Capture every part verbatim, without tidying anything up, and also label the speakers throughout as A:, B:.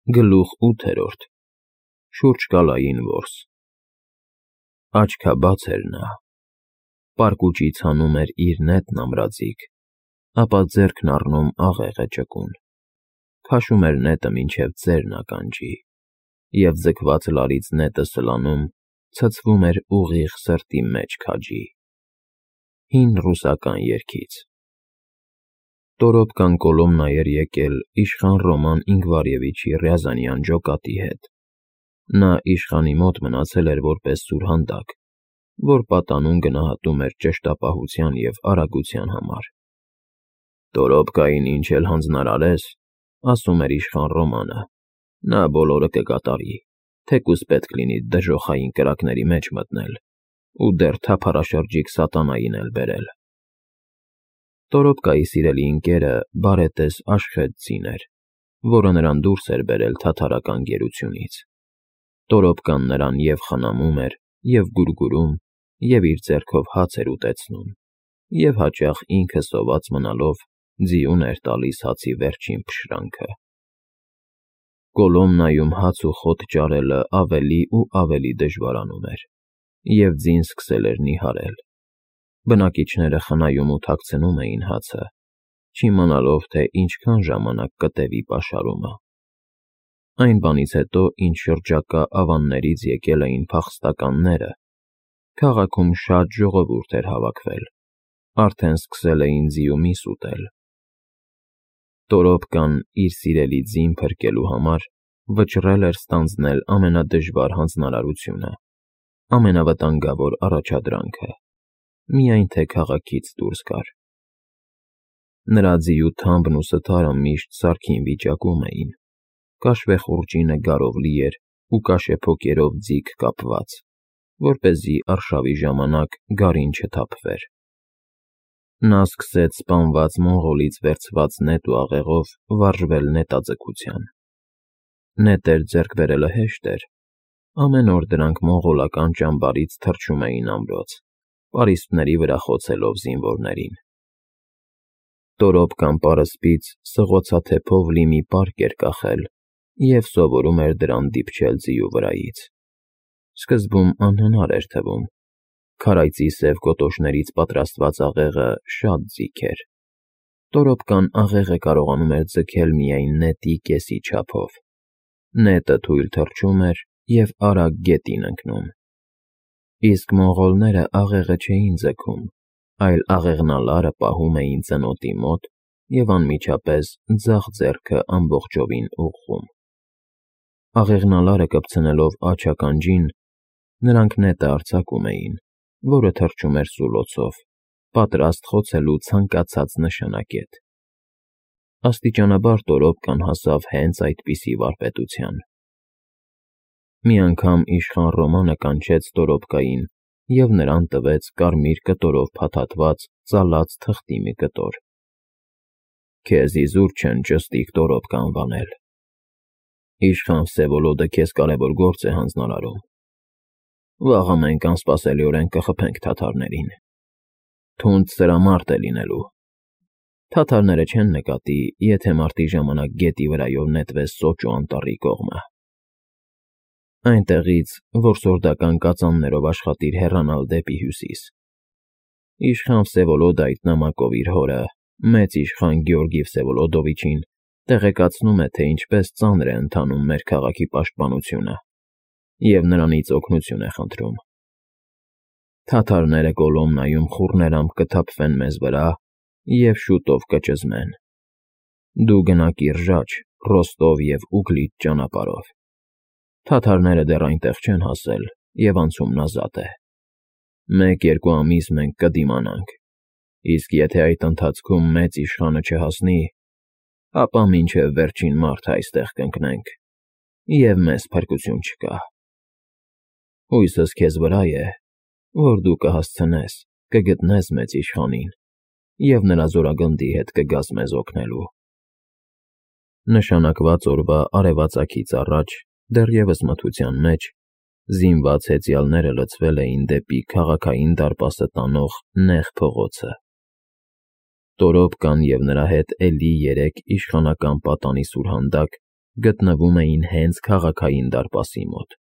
A: Գլուխ ութերորդ Շուրջկալային որս Աչքաբաց էր նա, պարկուճից հանում էր իր նետն ամրածիկ, ապա ձեռքն առնում աղեղը ճկուն, քաշում էր նետը մինչև ծերն ականջի, և ձգված լարից նետը սլանում, ցցվում էր ուղիղ սրտի մեջ քաջի։ Հին ռուսական երգից Տորոպկան Կոլոմնա էր եկել իշխան Ռոման Ինգվարևիչի Ռյազանյան ջոկատի հետ։ Նա իշխանի մոտ մնացել էր որպես սուրհանդակ, որ պատանուն գնահատում էր ճշտապահության և արագության համար։ Տորոպկային ինչ էլ հանձնարարես, ասում էր իշխան Ռոմանը, նա բոլորը կկատարի, թեկուզ պետք լինի դժոխային կրակների մեջ մտնել ու դեռ թափառաշրջիկ սատանային էլ բերել։ Տորոպկայի սիրելի ընկերը բարետես Աշխեդցին էր, որը նրան դուրս էր բերել թաթարական գերությունից։ Տորոպկան նրան և խնամում էր, և գուրգուրում, և իր ձեռքով հաց էր ուտեցնում, և հաճախ ինքը սոված մնալով ձիուն էր տալիս հացի վերջին փշրանքը։ Կոլոմնայում հաց ու խոտ ճարելը ավելի ու ավելի դժվարանում էր, և ձին սկսել էր նիհարել։ Բնակիչները խնայում ու թաքցնում էին հացը, չիմանալով, թե ինչքան ժամանակ կտևի պաշարումը։ Այն բանից հետո, ինչ շրջակա ավաններից եկել էին փախստականները, քաղաքում շատ ժողովուրդ էր հավաքվել, արդեն սկսել էին ձի ու միս ուտել։ Տորոպկան, իր սիրելի ձին փրկելու համար, վճռել էր ստանձնել ամենադժվար հանձնարարությունը, ամենավտանգավոր առաջադրանքը, միայն թե քաղաքից դուրս գար։ Նրա ձիու թամբն ու սթարը միշտ սարքին վիճակում էին, կաշվեխուռճինը գարով լի էր ու կաշեփոկերով ձիգ կապված, որպեսզի արշավի ժամանակ գարին չթափվեր։ Նա սկսեց սպանված մոնղոլից վերցված նետ ու աղեղով վարժվել նետաձգության։ Նետեր ձեռք բերելը հեշտ էր, ամեն օր դրանք մոնղոլական ճամբարից թռչում էին ամրոց, պարիսպների վրա խոցելով զինվորներին։ Տորոպկան պարսպից սղոցաթեփով լի մի պարկ էր կախել և սովորում էր դրան դիպչել ձիու վրայից։ Սկզբում անհնար էր թվում, քարայծի սև կոտոշներից պատրաստված աղեղը շատ ձիգ էր։ Տորոպկան աղեղը կարողանում էր ձգել միայն նետի կեսի չափով։ Նետը թույլ թռչում էր և արագ գետին ընկնում։ Իսկ մոնղոլները աղեղը չէին ձգում, այլ աղեղնալարը պահում էին ծնոտի մոտ և անմիջապես ձախ ձեռքը ամբողջովին ուղղում։ Աղեղնալարը կպցնելով աջ ականջին, նրանք նետը արձակում էին, որը թռչում էր սուլոցով, պատրաստ խոցելու ցանկացած նշանակետ։ Աստիճանաբար Տորոպկան հասավ հենց այդպիսի վարպետության։ Մի անգամ իշխան Ռոմանը կանչեց Տորոպկային և նրան տվեց կարմիր կտորով փաթաթված ծալած թղթի մի կտոր։ Քեզ իզուր չեն ճստիկ Տորոպկա անվանել։ Իշխան Վսևոլոդը քեզ կարևոր գործ է հանձնարարում։ Վաղը մենք անսպասելիորեն կխփենք թաթարներին։ Թունդ սրամարտ է լինելու։ Թաթարները չեն նկատի, եթե մարտի ժամանակ գետի վրայով նետվես Սոճու անտառի կողմը։ Այնտեղից որսորդական կածաններով աշխատիր հեռանալ դեպի հյուսիս։ Իշխան Վսևոլոդը այդ նամակով իր հորը, մեծ իշխան Գեորգի Վսևոլոդովիչին, տեղեկացնում է, թե ինչպես ծանր է ընթանում մեր քաղաքի պաշտպանությունը, և նրանից օգնություն է խնդրում։ Թաթարները Կոլոմնայում խուռներամբ կթափվեն մեզ վրա և շուտով կճզմեն։ Դու գնա Կիրժաչ, Ռոստով և Ուգլիչ ճանապարհով։ Թաթարները դեռ այնտեղ չեն հասել, և անցումն ազատ է։ Մեկ֊երկու ամիս մենք կդիմանանք, իսկ եթե այդ ընթացքում մեծ իշխանը չհասնի, ապա մինչև վերջին մարդը այստեղ կընկնենք, և մեզ փրկություն չկա։ Հույսս քեզ վրա է, որ դու կհասցնես, կգտնես մեծ իշխանին և նրա զորագնդի հետ կգաս մեզ օգնելու։ Նշանակված օրվա արևածագից առաջ, դեռևս մթության մեջ, զինված հեծյալները լցվել էին դեպի քաղաքային դարպասը տանող նեղ փողոցը։ Տորոպկան և նրա հետ էլի երեք իշխանական պատանի սուրհանդակ գտնվում էին հենց քաղաքային դարպասի մոտ։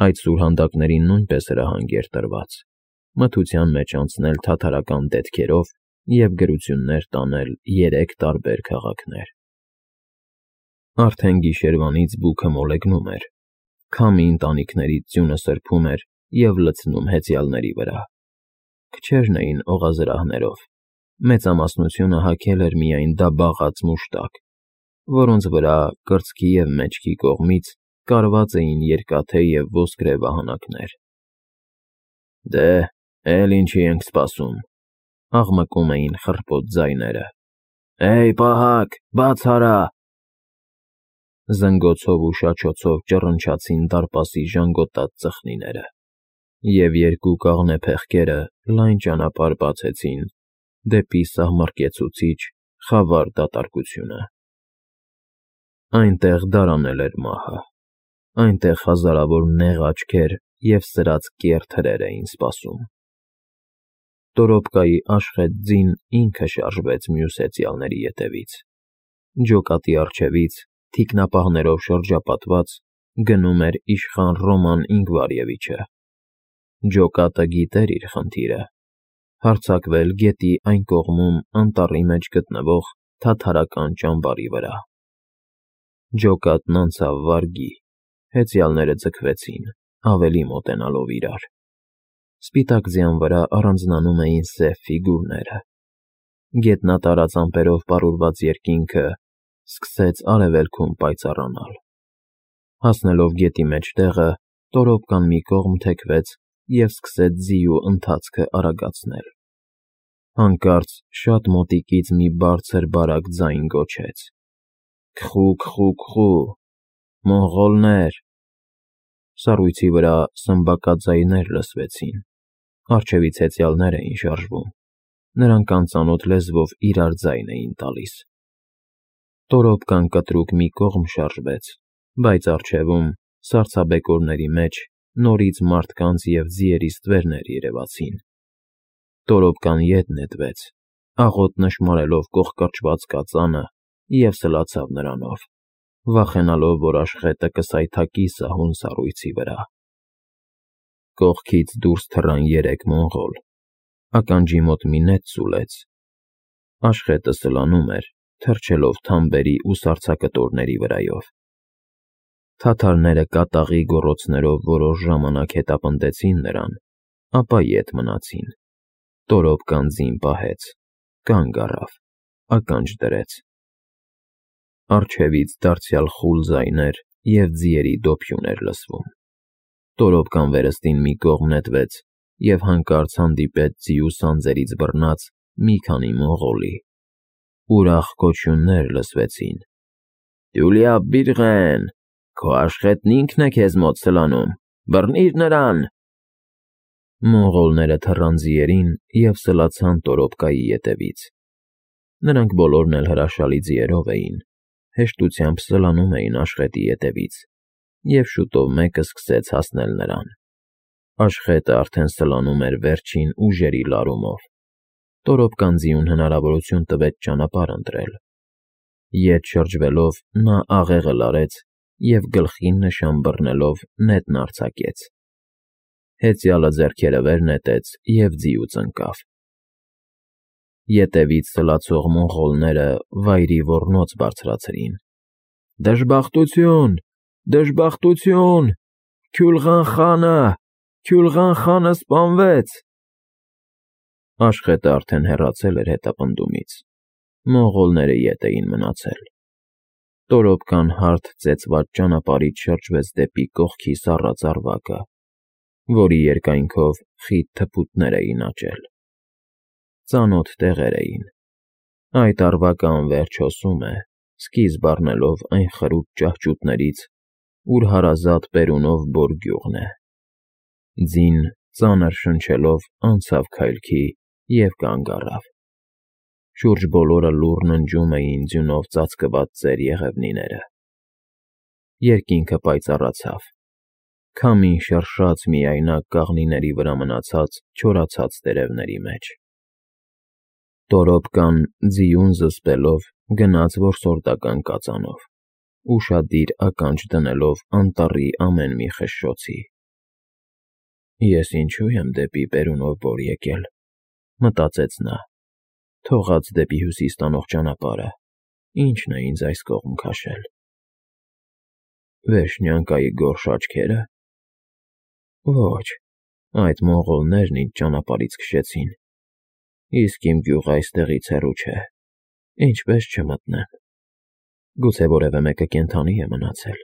A: Այդ սուրհանդակներին նույնպես հրահանգ էր տրված մթության մեջ անցնել թաթարական դետքերով և գրություններ տանել երեք տարբեր քաղաքներ։ Արդեն գիշերվանից բուքը մոլեգնում էր, քամի ընտանիքներից ձյունը սրբում էր և լցնում հեծյալների վրա։ Քչերն էին օղազրահներով, մեծամասնությունը հագել էր միայն դաբաղած մուշտակ, որոնց վրա կրծքի և մեջքի կողմից կարված էին երկաթե և ոսկրե վահանակներ։ «Դե, էլ ինչի ենք սպասում», աղմկում էին խռպոտ ձայները։ «Էյ, պահակ, բաց արա»։ Զնգոցով ու շաչոցով ճռնչացին դարպասի ժանգոտած ծխնիները, և երկու կաղնե փեղկերը լայն ճանապարհ բացեցին դեպի սահմռկեցուցիչ, խավար դատարկությունը։ Այնտեղ դարանել էր մահը, այնտեղ հազարավոր նեղ աչքեր և սրած կեռ թրեր էին սպասում։ Տորոպկայի աշխատ ձին ինքը շարժվեց մյուս հեծյալների ետևից։ Ջոկատի առջևից, թիկնապահներով շրջապատված, գնում էր իշխան Ռոման Ինգվարևիչը։ Ջոկատը գիտեր իր խնդիրը՝ հարձակվել գետի այն կողմում անտառի մեջ գտնվող թաթարական ճամբարի վրա։ Ջոկատն անցավ վարգի, հեծյալները ձգվեցին, ավելի մոտենալով իրար։ Սպիտակ ձյան վրա առանձնանում էին սև ֆիգուրները։ Գետնատարած ամպերով պարուրված երկինքը սկսեց արևելքում պայծառանալ։ Հասնելով գետի մեջտեղը, Տորոպկան մի կողմ թեքվեց և սկսեց ձիու ընթացքը արագացնել։ Հանկարծ շատ մոտիկից մի բարձր բարակ ձայն գոչեց. «Քխու, քխու, քխու, մոնղոլներ»։ Սառույցի վրա սմբակաձայներ լսվեցին։ Առջևից հեծյալներ էին շարժվում։ Նրանք անծանոթ լեզվով իրար ձայն էին տալիս։ Տորոպկան կտրուկ մի կողմ շարժվեց, բայց առջևում, սառցաբեկորների մեջ, նորից մարդկանց և ձիերի ստվերներ երևացին։ Տորոպկան ետ նետվեց, աղոտ նշմարելով կոխկրճված կածանը և սլացավ նրանով, վախենալով, որ աշխետը կսայթաքի սահուն սառույցի վրա։ Կողքից դուրս թռան երեք մոնղոլ, ականջի մոտ մի նետ սուլեց։ Աշխետը սլանում էր, թռչելով թամբերի ու սառցակտորների վրայով։ Թաթարները կատաղի գոռոցներով որոշ ժամանակ հետապնդեցին նրան, ապա ետ մնացին։ Տորոպկան ձին պահեց, կանգ առավ, ականջ դրեց։ Առջևից դարձյալ խուլ ձայներ և ձիերի դոփյուն էր լսվում։ Տորոպկան վերստին մի կողմ նետվեց և հանկարծ հանդիպեց ձիու սանձերից բռնած մի քանի մոնղոլի։ Ուրախ գոչյուններ լսվեցին. «Դյուլյա բիռղեն, քո աշխետն ինքն է քեզ մոտ սլանում, բռնի՛ր նրան»։ Մոնղոլները թռան ձիերին և սլացան Տորոպկայի ետևից։ Նրանք բոլորն էլ հրաշալի ձիերով էին, հեշտությամբ սլանում էին աշխետի ետևից, և շուտով մեկը սկսեց հասնել նրան։ Աշխետը արդեն սլանում էր վերջին ուժերի լարումով։ Տորոպկան ձիուն հնարավորություն տվեց ճանապարհ ընտրել։ Ետ շրջվելով՝ նա աղեղը լարեց և գլխին նշան բռնելով նետն արձակեց։ Հեծյալը ձեռքերը վեր նետեց և ձիուց ընկավ։ Ետևից սլացող մոնղոլները վայրի ոռնոց բարձրացրին. «Դժբախտություն, դժբախտություն, Քյուլղան խանը, Քյուլղան խանը սպանվեց»։ Աշխետը արդեն հեռացել էր հետապնդումից։ Մոնղոլները ետ էին մնացել։ Տորոպկան հարթ ծեծված ճանապարհից շրջվեց դեպի կողքի սառած ավրակը, որի երկայնքով խիտ թփուտներ էին աճել։ Ծանոթ տեղեր էին։ Այդ ավրակը անվերջ հոսում է, սկիզբ առնելով այն խրուտ ճահճուտներից, ուր հարազատ բերունով Բոր գյուղն է։ Ձին, ծանր շնչելով, անցավ քայլքի և կանգ առավ։ Շուրջ բոլորը լուռ ննջում էին ձյունով ծածկված ծեր եղևնիները։ Երկինքը պայծառացավ։ Քամին շրշաց միայնակ կաղնիների վրա մնացած չորացած տերևների մեջ։ Տորոպկան, ձիուն զսպելով, գնաց որսորդական կածանով, ուշադիր ականջ դնելով անտառի ամեն մի խշշոցի։ Ես ինչու եմ դեպի Պերունով Բոր եկել, մտածեց նա, թողած դեպի հյուսիս տանող ճանապարհը, ինչն է ինձ այս կողմ քաշել։ Վերջնյանկայի գորշ աչքերը։ Ոչ, այդ մոնղոլներն ինձ ճանապարհից քշեցին, իսկ իմ գյուղը այստեղից հեռու չէ, ինչպես չմտնեմ։ Գուցե որևէ մեկը կենդանի է մնացել։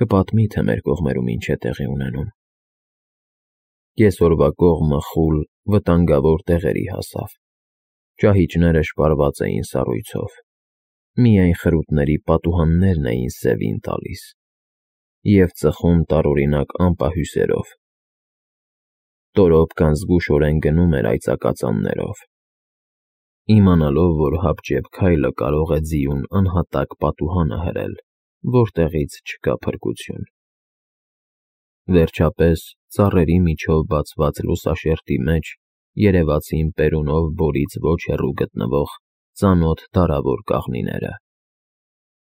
A: Կպատմի, թե մեր կողմերում ինչ է տեղի ունենում։ Կեսօրվա կողմը խուլ, վտանգավոր տեղերի հասավ։ Ճահիճները շպարված էին սառույցով։ Միայն խրութների պատուհաններն էին սևին տալիս և ծխում տարօրինակ ամպահյուսերով։ Տորոպկան զգուշորեն գնում էր այծակածաններով։ Իմանալով, որ հապճեպ քայլը կարող է ձիուն անհատակ պատուհանը հրել, որտեղից չկա փրկություն։ Վերջապես, ծառերի միջով բացված լուսաշերտի մեջ երևացին Պերունով Բորից ոչ հեռու գտնվող ծանոթ դարավոր կաղնիները։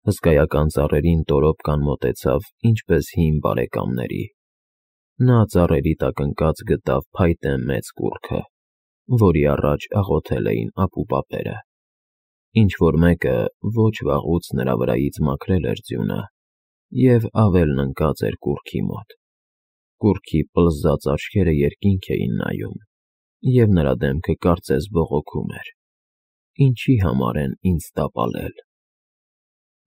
A: Հսկայական ծառերին Տորոպկան մոտեցավ ինչպես հին բարեկամների։ Նա ծառերի տակ ընկած գտավ փայտե մեծ կուռքը, որի առաջ աղոթել էին ապուպապերը։ Ինչ-որ մեկը ոչ վաղուց նրա վրայից մաքրել էր ձյունը և ավելն ընկած էր կուռքի մոտ։ Կուռքի պլզած աչքերը երկինք էին նայում, և նրա դեմքը կարծես բողոքում էր. «Ինչի համար են ինձ տապալել»։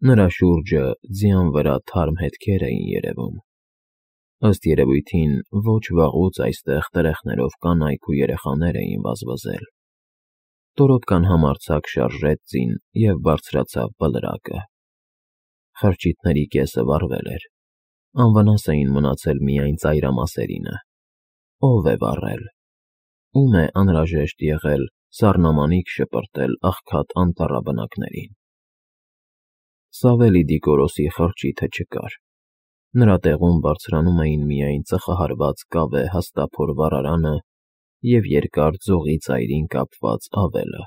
A: Նրա շուրջը ձյան վրա թարմ հետքեր էին երևում։ Ըստ երևույթին, ոչ վաղուց այստեղ տրեխներով կանայք ու երեխաներ էին վազվզել։ Տորոպկան համարձակ շարժեց ձին և բարձրացավ բլրակը։ Խրճիթների կեսը վառվել էր, անվնաս էին մնացել միայն ծայրամասերինը։ Ո՞վ է վառել։ Ո՞ւմ է անհրաժեշտ եղել սառնամանիք շպրտել աղքատ անտառաբնակներին։ Սավելի Դիկորոսի խրճիթը չկար։ Նրա տեղում բարձրանում էին միայն ծխահարված կավե հաստափոր վառարանը և երկար ձողի ծայրին կապված ավելը։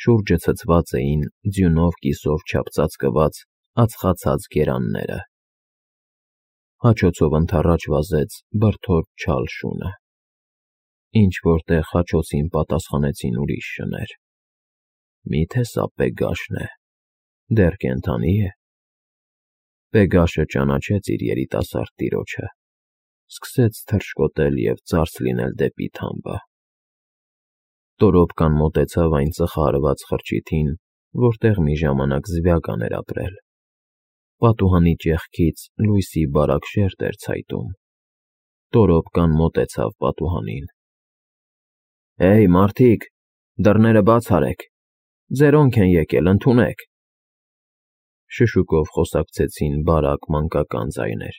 A: Շուրջը ցցված էին ձյունով կիսով չափծածկված ածխացած գերանները։ Հաչոցով ընդառաջ վազեց բրդոտ չալ շունը։ Ինչ-որ տեղ հաչոցին պատասխանեցին ուրիշ շներ։ Մի՞թե սա Պեգաշն է, դեռ կենդանի է։ Պեգաշը ճանաչեց իր երիտասարդ տիրոջը, սկսեց թռչկոտել և ծարս լինել դեպի թամբը։ Տորոպկան մոտեցավ այն ծխահարված խրճիթին, որտեղ մի ժամանակ Զվյագան էր ապրել։ Պատուհանի ճեղքից լույսի բարակ շերջ էր ցայտում։ Տորոպկան մոտեցավ պատուհանին։ «Հեյ, մարդիկ, դռները բաց արեք, ձերոնք են եկել, ընդունեք»։ Շշուկով խոսակցեցին բարակ մանկական ձայներ։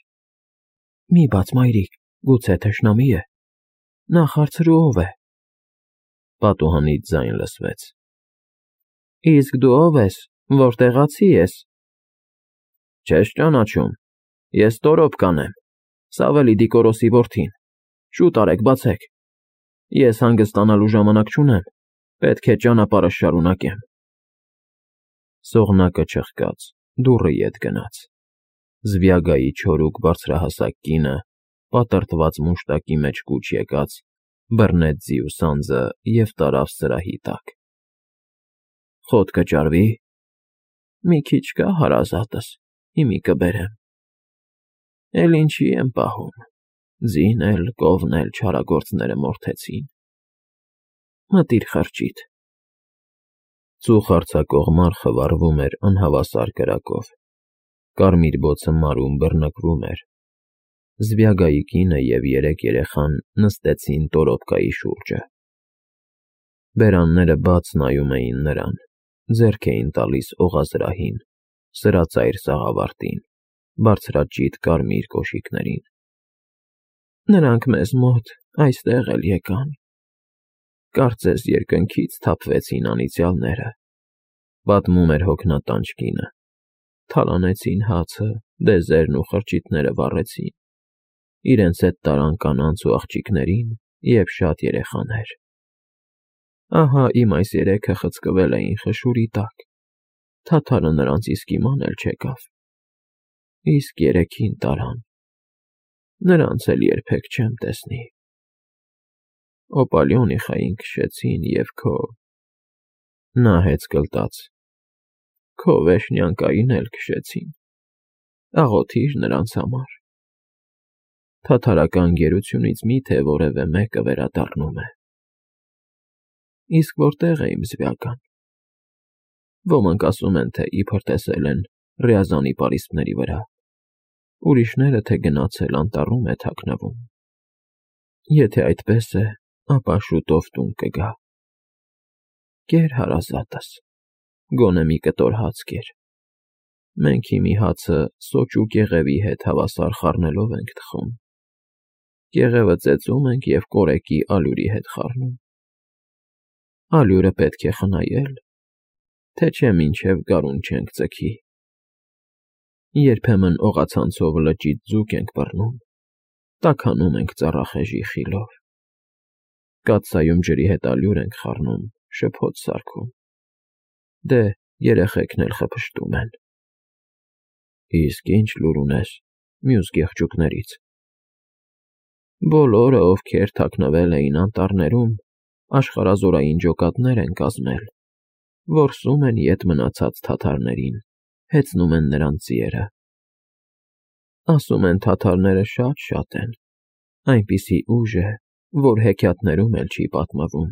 A: «Մի բաց, մայրիկ, գուցե թշնամի է։ Նախ հարցրու ով է»։ Պատուհանից ձայն լսվեց. «Իսկ դու ով ես, որտեղացի ես»։ «Չես ճանաչում, ես Տորոպկան եմ, Սավելի Դիկորոսի որդին, շուտ արեք, բացեք։ Ես հանգստանալու ժամանակ չունեմ, պետք է ճանապարհս շարունակեմ»։ Սողնակը չխկաց, դուռը ետ գնաց։ Զվյագայի չորուկ բարձրահասակ կինը, պատրտված մուշտակի մեջ կուչ եկած, բռնեց ձիու սանձը և տարավ սրահի տակ։ «Խոտ կճարվի»։ «Մի քիչ կա հարազատս, հիմի կբերեմ»։ «Էլ ինչի եմ պահում, ձին էլ, կովն էլ չարագործները մորթեցին»։ «Մտիր խրճիթ»։ Ծուխ արձակող մարխը վառվում էր անհավասար կրակով։ Կարմիր բոցը մարում բռնկվում էր։ Զվյագայի կինը և երեք երեխան նստեցին Տորոպկայի շուրջը։ Բերանները բաց նայում էին նրան, ձեռք էին տալիս օղազրահին, սրածայր սաղավարտին, բարձրաճիտ կարմիր կոշիկներին։ «Նրանք մեզ մոտ այստեղ էլ եկան։ Կարծես երկնքից թափվեցին անիծյալները», պատմում էր հոգնատանջ կինը։ «Թալանեցին հացը, դեզերն ու խրճիթները վառեցին, իրենց հետ տարան կանանց ու աղջիկներին և շատ երեխաներ։ Ահա իմ այս երեքը խցկվել էին խշուրի տակ, Թաթարը նրանց իսկ իման էլ չեկավ, իսկ երեքին տարան, նրանց էլ երբեք չեմ տեսնի։ Օպալիոնիխային քշեցին և քո… Նա հեծ կլտաց, քո Վեշնյանկային էլ քշեցին, աղոթի՛ր նրանց համար։ Թաթարական գերությունից մի՞թե որևէ մեկը վերադառնում է։ Իսկ որտե՞ղ է իմ զվյական։ Ոմանք ասում են, թե իբր տեսել են Ռյազանի պարիսպների վրա, ուրիշները, թե գնացել անտառում է թաքնվում։ Եթե այդպես է, ապա շուտով տուն կգա։ Կեր, հարազատս, գոնե մի կտոր հաց կեր։ Մենք հիմի հացը սոճ ու կեղևի հետ հավասար խառնելով ենք թխում, կեղևը ծեծում ենք և կորեկի ալյուրի հետ խառնում։ Ալյուրը պետք է խնայել, թե չէ մինչև գարուն չենք ձգի։ Երբեմն օղացանցով լճից ձուկ ենք բռնում, տաքանում ենք ծառախեժի խիլով, կաթսայում ջրի հետ ալյուր ենք խառնում, շփոթ սարքում, դե երեխեքն էլ խփշտում են։ Իսկ ի՞նչ լուր ունես մյուս գեղջույկներից։ Բոլորը, ովքեր թաքնվել էին անտառներում, աշխարհազորային ջոկատներ են կազմել, որսում են ետ մնացած թաթարներին, հեծնում են նրանց ձիերը։ Ասում են թաթարները շատ֊շատ են, այնպիսի ուժ է, որ հեքիաթներում էլ չի պատմվում,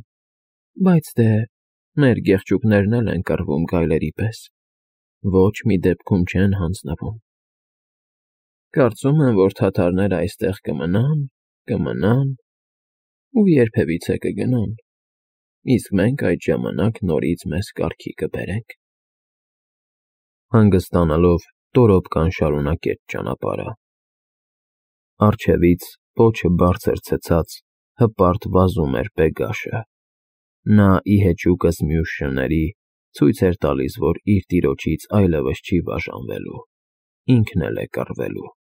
A: բայց դե մեր գեղջույկներն էլ են կռվում գայլերի պես, ոչ մի դեպքում չեն հանձնվում։ Կարծում եմ, որ թաթարները այստեղ կմնան, կմնան ու երբևիցե կգնան, իսկ մենք այդ ժամանակ նորից մեզ կարգի կբերենք։ Հանգստանալով տորոպկան շարունակեց ճանապարհը։ Առջևից պոչը բարձր ցցած հպարտ վազում էր Պեգաշը։ Նա ի հեճուկս մյուս շների ցույց էր տալիս, որ իր տիրոջից այլևս չի բաժանվելու, ինքն էլ է կռվելու։